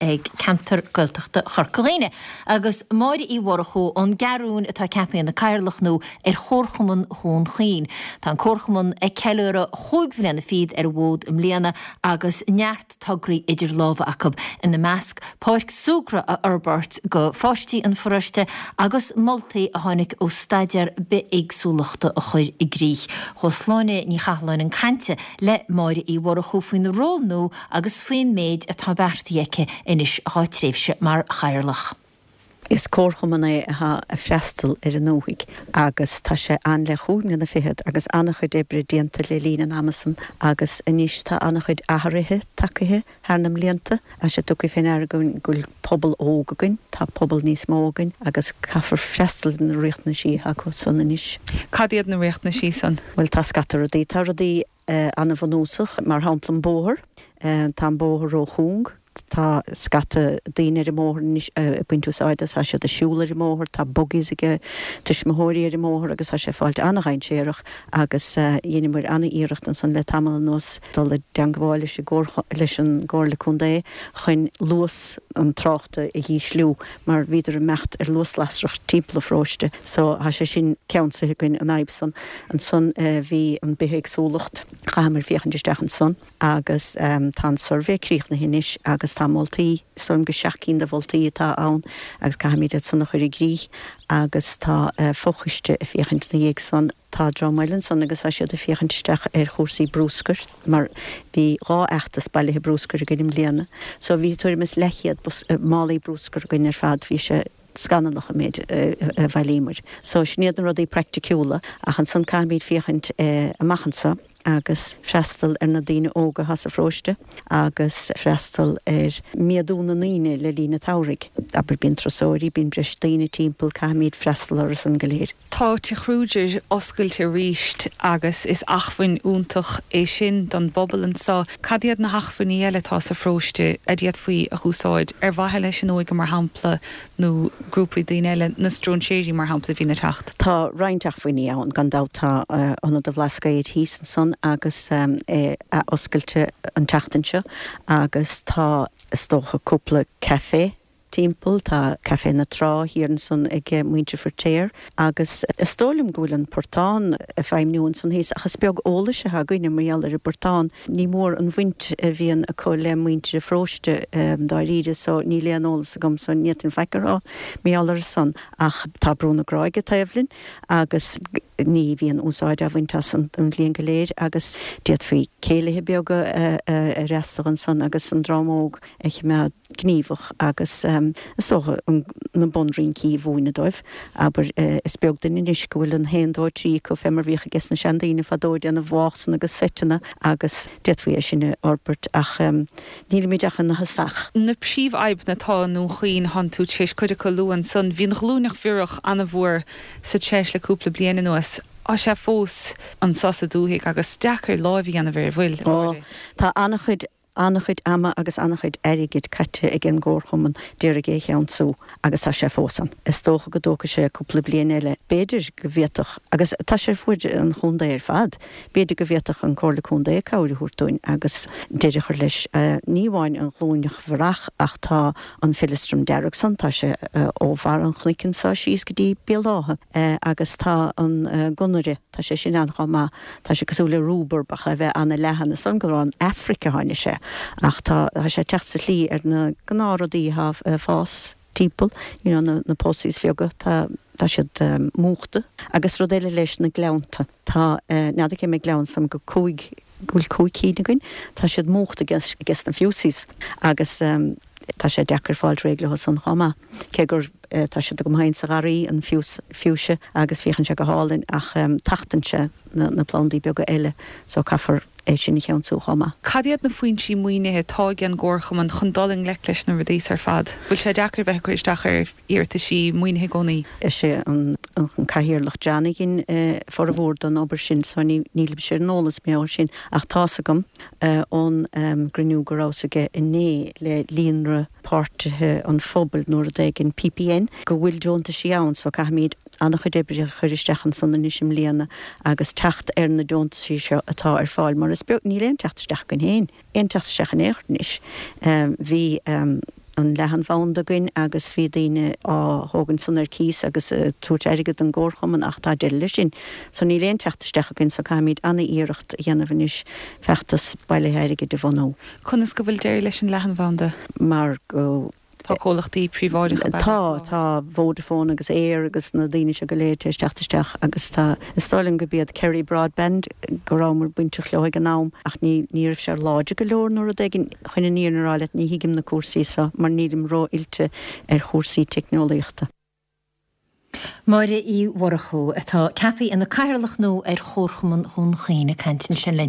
Ag ceantar Gaeltachta Chorca Dhuibhne, agus Máire Uí Mhurchú ón gCeathrúin atá ceaptha ina cathaoirleach nua ar Chomharchumann Dhún Chaoin. Tá an Comharchumann ag ceiliúradh chúig bhliana fichead ar an bhfód i mbliana agus neart tograí idir lámha acu, ina measc páirc súgartha a fhorbairt do pháistí an pharóiste agus moltaí a tháinig ó staidéar bithéagsúlachta a chur i gcrích. Chuaigh Sláine Ní Chathalláin chun cainte le Máire Uí Mhurchú faoina ról nua agus faoin méid atá beartaithe aici anois dhá tréimhse mar chathaoirleach. Is comharchumann é atá ag freastal ar an ndúthaigh agus tá sé ann le chúig mbliana fichead agus an-chuid oibre déanta le linn an ama san agus anois tá an-chuid athruithe tagaithe thar na mblianta. Tá sé tugtha fé ndeara againn go bhfuil pobal óg againn, tá pobal níos mó againn agus caithfear freastal ar na riachtanaisí atá acu san anois. Cad iad na riachtanaisí san? Bhuel tá scata rudaí. Tá rudaí. an-bhunúsach, mar shampla an bóthar. Tá an bóthar ró-chúng, tá scata daoine ar an mbóthar anois ag baint úsáid as, tá siad ag siúl ar an mbóthar, tá buggies ag tuismitheoirí ar an mbóthar agus tá sé ag fáilt an-dhainséarach agus dheineamar an-iarracht ansan le tamall anuas dul i dteangmháil leis leis an gComhairle Contae chun luas an tráchta a dhísliú mar bhíodar ag imeacht ar luas lasrach timpeall an pharóiste so tá sé sin ceansaithe againn an fhadhb san. Ansan bhí an bithéagsúlacht, chaitheamar féachaint isteach ansan agus tá an suirbhé críochnaithe anois agus tá moltaí, is dóigh liom gur seacht gcinn de mholtaí atá ann agus caithfimid iad san a chur i gcrích agus tá fochoiste ag féachaint ina dhiaidh san. Tá dream eile ansan agus tá siad ag féachaint isteach ar chúrsaí brúscair mar bhí dhá fheachtas bailithe brúscair againn i mbliana. So bhí tuairim is leathchéad málaí brúscair againn ar fad, bhí sé scannalach an méid a bhailíomar. So sin iad na rudaí praiticiúla ach ansan caithfimid féachaint amach anso agus freastal ar na daoine óga atá sa pharóiste agus freastal ar méadú na ndaoine le linn an tsamhraidh. Abair bíonn turasóirí, bíonn breis daoine timpeall, caithfimid freastal orthu san go léir. Tá Tigh Kruger oscailte arís agus is acmhainn iontach é sin don bpobal anseo. Cad iad na hacmhainní eile atá sa pharóiste a d'fhéadfaí a dh'úsáid, ar mhaithe leis an óige mar shampla nó grúpaí daoine eile, na stróinséirí mar shampla a bhíonn ag teacht? Tá roinnt acmhainní ann gan dabht. Tá Ionad an Bhlascaoid thíos ansan agus é athoscailte an tseachtain seo agus tá is dócha cúpla café timpeall. Tá Café na Trá thiar ansan ag muintir Feiritéar agus is dóigh liom go bhfuil an portán ag feidhmniú ansan thíos ach is beag eolais atá againne mar gheall ar an bportán. Ní mór an bhaint a bhíonn acu le muintir an pharóiste dáiríre so níl aon eolas agam so ní fhéadfainn faic a rá mar gheall air san ach tá Brú na Gráige taobh linn agus ní bhíonn úsáid á bhaint as an bhliain go léir agus d'fhéadfaí céilithe beaga a fhreastal ansan agus an dream óg a choimeád gníomhach agus is dócha na bunrincí a mhúineadh dóibh. Abair, is beag duine anois go bhfuil an haon, dó, trí acu fé mar bhíodh ages na seandaoine fadó ag déanamh válsanna agus seiteanna agus d'fhéadfaí é sin a fhorbairt ach nílimid ach ina thosach. Na príomhfhadhbanna atá i nDún Chaoin, thánn tú tar éis cuid acu a lua ansan. Bhí an ghlúineach bhiorach an-mhór sa treis le cúpla bliain anuas. Tá sé fós anso sa dúthaigh agus deacair láimh a dhéanamh air, an bhfuil, a Mháire? Tá an-chuid An-chuid ama agus an-chuid airgid caite ag an gComharchumann d'iarraidh é a cheansú agus tá sé fós ann. Is dócha go dtógfaidh sé cúpla bliain eile. B'fhéidir go bhféadfadh, agus tá sé ar fuaid an chontae ar fad, b'fhéidir go bhféadfadh an Comhairle Contae cabhair a thabhairt dúinn agus deireadh a chur leis. Ní amháin an ghlúineach bhiorach ach tá an feileastram dearg san, tá sé ó bharr an chnoic anso síos go dtí Béal Átha agus tá an gunnaire, tá sé sin ann chomh maith. Tá sé cosúil le rúbarb ach é bheith ana-leathan. Is dóigh liom gur ón Afraic a tháinig sé ach tá sé ag teacht sa tslí ar na gnáthrudaí atá ag fás timpeall, you know na posies bheaga, tá tá siad múchta. Agus rud eile leis, na gleannta. Tá, n'fheadar cé mhéad gleann, is dóigh liom go cúig, go bhfuil cúig cinn againn, tá siad múchta ages na fusies agus tá sé deacair fáilt réidh leo san chomh maith. Cé gur tá siad agam féin sa gharraí, an fuchsia, agus féachann sé go hálainn ach tachtann sé na plandaí beaga eile so caithfear é sin a cheansú chomh maith. Cad iad na foinsí maoinithe atá ag an gComharchumann chun dul i ngleic leis na rudaí so ar fad? Bhfuil sé deacair bheith ag cur isteach ar iarrataisí maoinithe i gcónaí? Is é an Cathaoirleach John a dhein formhór den obair sin so nílimse ar an eolas mar gheall air sin ach tá's agam ón gcruinniú go rabhas aige inné le Líonra Páirtithe an Phobail nó rud éigin, PPN, go bhfuil deontaisí ann so caithfimid an-chuid oibre a chur isteach ansan anois i mbliana agus teacht ar na deontaisí seo atá ar fáil mar is beag, níl aon teacht isteach againn féin, aon teacht isteach in aon chor anois. Bhí. an leathanbhanda againn agus bhí daoine á thógaint san ar cíos agus ag tabhairt airgead don gcomharchumann ach tá deireadh leis sin. So níl aon teacht isteach againn so caithfimid ana-iarracht a dhéanamh anois feachtas bailithe airgid a bhunú. Conas go bhfuil deireadh leis an leathanbhanda? Mar go. Tá comhlachtaí príobháideacha ab ea Tá, tá Vodafone agus Eir agus na daoine seo go léir tar éis teacht isteach agus tá, is dóigh liom gurb iad Kerry Broadband go rabhamar bainteach leo ag an am ach ní, ní raibh sé láidir go leor nó rud éigin. Chun an fhírinne a rá leat ní thuigim na cúrsaí seo mar nílim ró-oilte ar chúrsaí teicneolaíochta. Máire Uí Mhurchú, atá ceaptha ina Cathaoirleach nua ar Chomharchumann Dhún Chaoin, ag caint ansin linn.